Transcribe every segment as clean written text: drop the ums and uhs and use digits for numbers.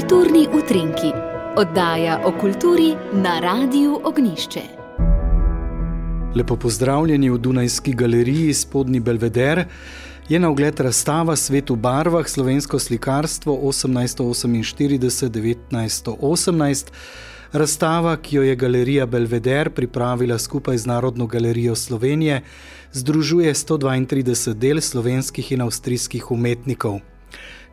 Kulturni utrinki, oddaja o kulturi na Radiu Ognjišče. Lepo pozdravljeni v Dunajski galeriji Spodnji Belveder. Je na ogled razstava Svet v barvah, slovensko slikarstvo 1848-1918. Razstava, ki jo je Galerija Belveder pripravila skupaj z Narodno galerijo Slovenije, združuje 132 del slovenskih in avstrijskih umetnikov.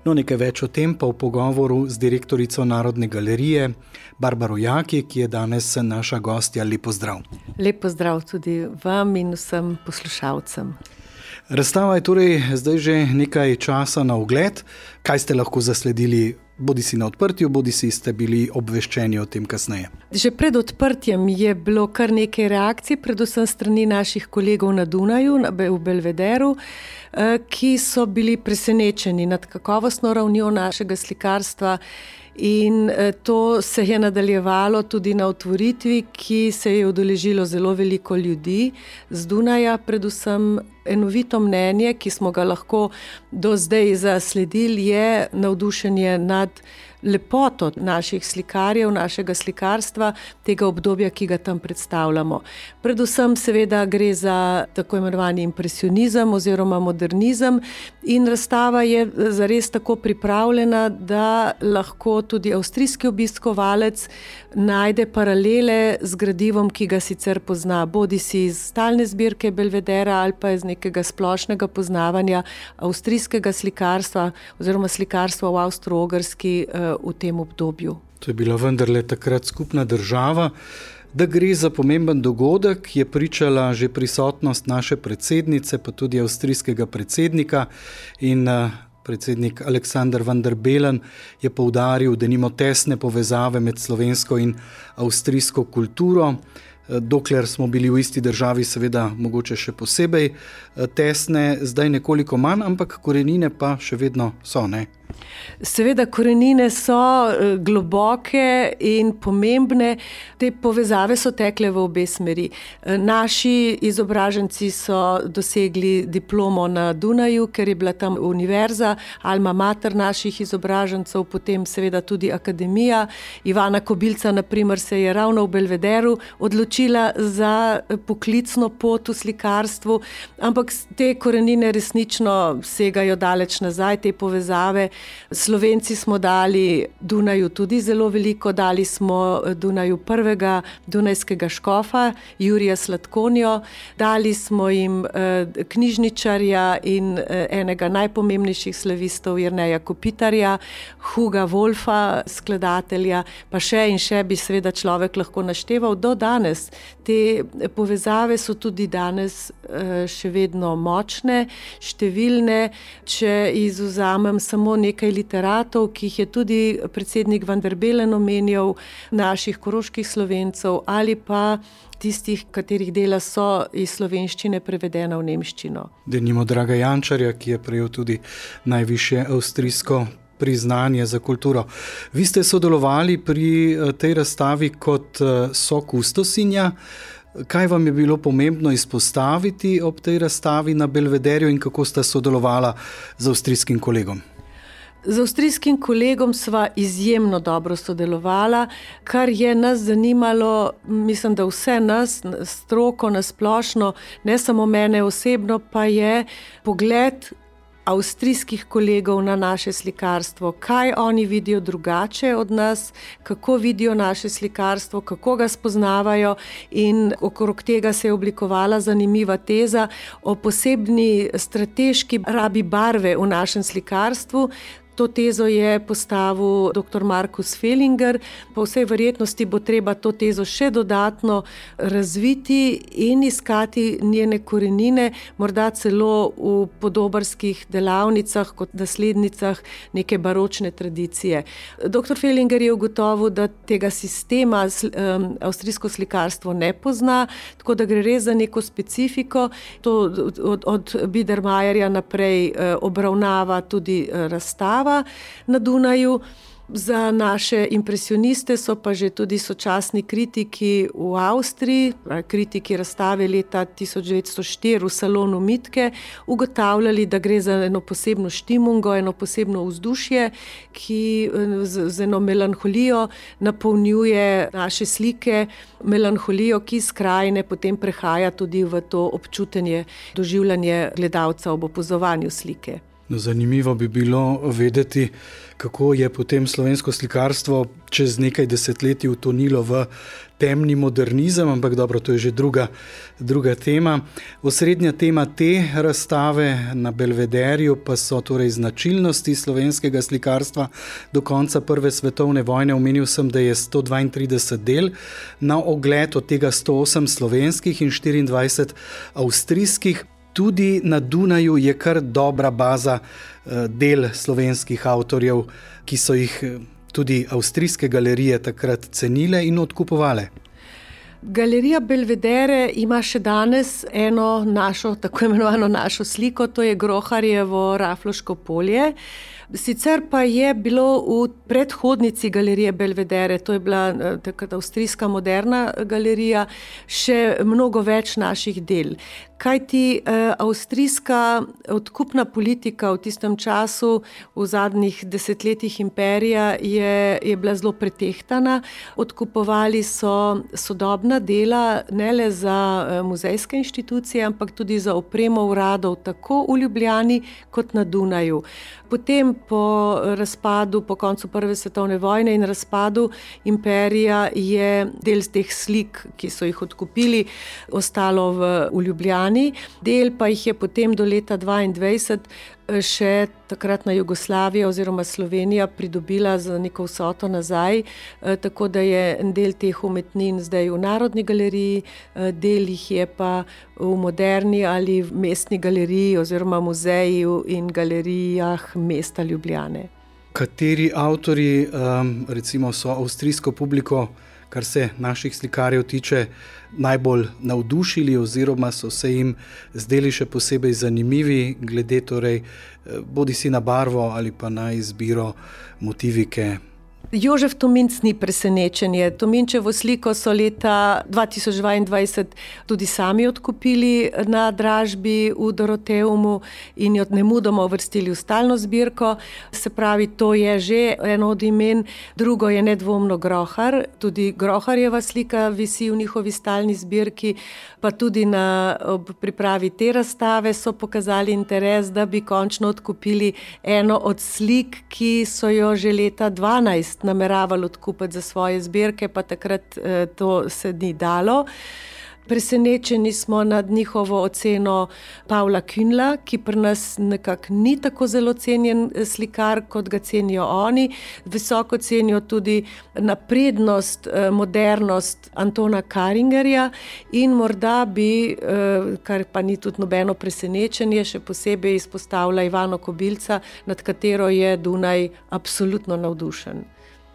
No, nekaj več o tem pa v pogovoru z direktorico Narodne galerije Barbaro Jaki, ki je danes naša gostja. Lep pozdrav. Lep pozdrav tudi vam in vsem poslušalcem. Razstava je torej zdaj že nekaj časa na ogled. Kaj ste lahko zasledili, bodi si na odprtju, bodi si ste bili obveščeni o tem kasneje? Že pred odprtjem je bilo kar nekaj reakcij, predvsem strani naših kolegov na Dunaju, v Belvederu, ki so bili presenečeni nad kakovostno ravnjo našega slikarstva. In to se je nadaljevalo tudi na otvoritvi, ki se je udeležilo zelo veliko ljudi z Dunaja, predvsem enovito mnenje, ki smo ga lahko do zdaj zasledili, je navdušenje nad lepoto naših slikarjev, našega slikarstva, tega obdobja, ki ga tam predstavljamo. Predvsem seveda gre za tako imenovani impresionizem oziroma modernizem in razstava je zares tako pripravljena, da lahko tudi avstrijski obiskovalec najde paralele z gradivom, ki ga sicer pozna, bodi si iz stalne zbirke Belvedera ali pa iz nekega splošnega poznavanja avstrijskega slikarstva oziroma slikarstva v Avstro-Ogrski v tem obdobju. To je bila vendarle takrat skupna država. Da gre za pomemben dogodek, je pričala že prisotnost naše predsednice, pa tudi avstrijskega predsednika, in predsednik Aleksander van der Bellen je poudaril, da nima tesne povezave med slovensko in avstrijsko kulturo. Dokler smo bili v isti državi, seveda mogoče še posebej tesne, zdaj nekoliko manj, ampak korenine pa še vedno so, ne? Seveda korenine so globoke in pomembne, te povezave so tekle v obe smeri. Naši izobraženci so dosegli diplomo na Dunaju, ker je bila tam univerza, alma mater naših izobražencev, potem seveda tudi akademija. Ivana Kobilca, na primer, se je ravno v Belvederu odločila za poklicno pot v slikarstvu, ampak te korenine resnično segajo daleč nazaj, te povezave. Slovenci smo dali Dunaju tudi zelo veliko, dali smo Dunaju prvega dunajskega škofa, Jurija Sladkonjo, dali smo jim knjižničarja in enega najpomembnejših slavistov Jerneja Kopitarja, Huga Wolfa, skladatelja, pa še in še bi seveda človek lahko našteval do danes. Te povezave so tudi danes še vedno močne, številne. Če izvzamem samo nekaj literatov, ki jih je tudi predsednik van der Bellen omenjal, naših koroških Slovencev ali pa tistih, katerih dela so iz slovenščine prevedena v nemščino. Denimo Draga Jančarja, ki je prejel tudi najvišje avstrijsko priznanje za kulturo. Vi ste sodelovali pri tej razstavi kot sokustosinja. Kaj vam je bilo pomembno izpostaviti ob tej razstavi na Belvederju in kako sta sodelovala z avstrijskim kolegom? Z avstrijskim kolegom sva izjemno dobro sodelovala, kar je nas zanimalo, mislim, da vse nas, stroko nasplošno, ne samo mene osebno, pa je pogled avstrijskih kolegov na naše slikarstvo, kaj oni vidijo drugače od nas, kako vidijo naše slikarstvo, kako ga spoznavajo, in okrog tega se je oblikovala zanimiva teza o posebni strateški rabi barve v našem slikarstvu. To tezo je postavil dr. Markus Felinger. Po vsej verjetnosti bo treba to tezo še dodatno razviti in iskati njene korenine, morda celo v podobarskih delavnicah kot naslednicah neke baročne tradicije. Dr. Felinger je ugotovil, da tega sistema avstrijsko slikarstvo ne pozna, tako da gre res za neko specifiko. To od Biedermeierja naprej obravnava tudi razstava na Dunaju. Za naše impresioniste so pa že tudi sočasni kritiki v Avstriji, kritiki razstave leta 1904 v salonu Mitke, ugotavljali, da gre za eno posebno štimungo, eno posebno vzdušje, ki z eno melanholijo napolnjuje naše slike, melanholijo, ki iz krajine potem prehaja tudi v to občutenje, doživljanje gledalca ob opazovanju slike. No, zanimivo bi bilo vedeti, kako je potem slovensko slikarstvo čez nekaj desetletij utonilo v temni modernizem, ampak dobro, to je že druga tema. Osrednja tema te razstave na Belvederju pa so torej značilnosti slovenskega slikarstva do konca Prve svetovne vojne. Omenil sem, da je 132 del na ogled, od tega 108 slovenskih in 24 avstrijskih. Tudi na Dunaju je kar dobra baza del slovenskih avtorjev, ki so jih tudi avstrijske galerije takrat cenile in odkupovale. Galerija Belvedere ima še danes eno našo, tako imenovano našo sliko, to je Groharjevo Rafloško polje. Sicer pa je bilo v predhodnici galerije Belvedere, to je bila takrat avstrijska moderna galerija, še mnogo več naših del. Kajti avstrijska odkupna politika v tistem času, v zadnjih desetletjih imperija, je bila zelo pretehtana. Odkupovali so sodobna dela ne le za muzejske inštitucije, ampak tudi za opremo uradov tako v Ljubljani kot na Dunaju. Potem po razpadu, po koncu Prve svetovne vojne in razpadu imperija je del teh slik, ki so jih odkupili, ostalo v Ljubljani. Del pa jih je potem do leta 1922 še takratna Jugoslavija oziroma Slovenija pridobila za neko vsoto nazaj, tako da je en del teh umetnin zdaj v Narodni galeriji, del jih je pa v Moderni ali v Mestni galeriji oziroma muzeju in galerijah mesta Ljubljane. Kateri avtorji, recimo, so avstrijsko publiko, kar se naših slikarjev tiče, najbolj navdušili oziroma so se jim zdeli še posebej zanimivi, glede torej bodisi na barvo ali pa na izbiro motivike? Jožef Tominc ni presenečenje. Tominčevo sliko so leta 2022 tudi sami odkupili na dražbi v Doroteumu in jo nemudoma uvrstili v stalno zbirko. Se pravi, to je že eno od imen. Drugo je nedvomno Grohar. Tudi Groharjeva slika visi v njihovi stalni zbirki, pa tudi ob pripravi te razstave so pokazali interes, da bi končno odkupili eno od slik, ki so jo že leta 2012 nameravali odkupiti za svoje zbirke, pa takrat to se ni dalo. Presenečeni smo nad njihovo oceno Pavla Künla, ki pri nas nekako ni tako zelo cenjen slikar, kot ga cenijo oni. Visoko cenijo tudi naprednost, modernost Antona Karingerja in morda bi, kar pa ni tudi nobeno presenečenje, še posebej izpostavila Ivano Kobilca, nad katero je Dunaj absolutno navdušen.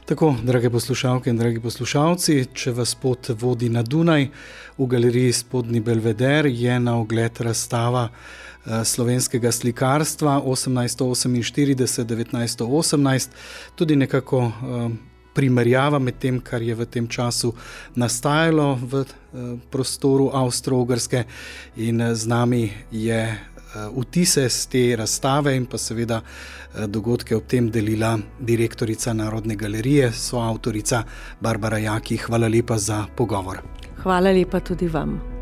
Tako, drage poslušalke in dragi poslušalci, če vas pot vodi na Dunaj, v galeriji Spodnji Belveder je na ogled razstava slovenskega slikarstva 1848-1918, tudi nekako primerjava med tem, kar je v tem času nastajalo v prostoru Avstro-Ogrske, in z nami je vtise z te razstave in pa seveda dogodke ob tem delila direktorica Narodne galerije, soavtorica Barbara Jaki. Hvala lepa za pogovor. Hvala lepa tudi vam.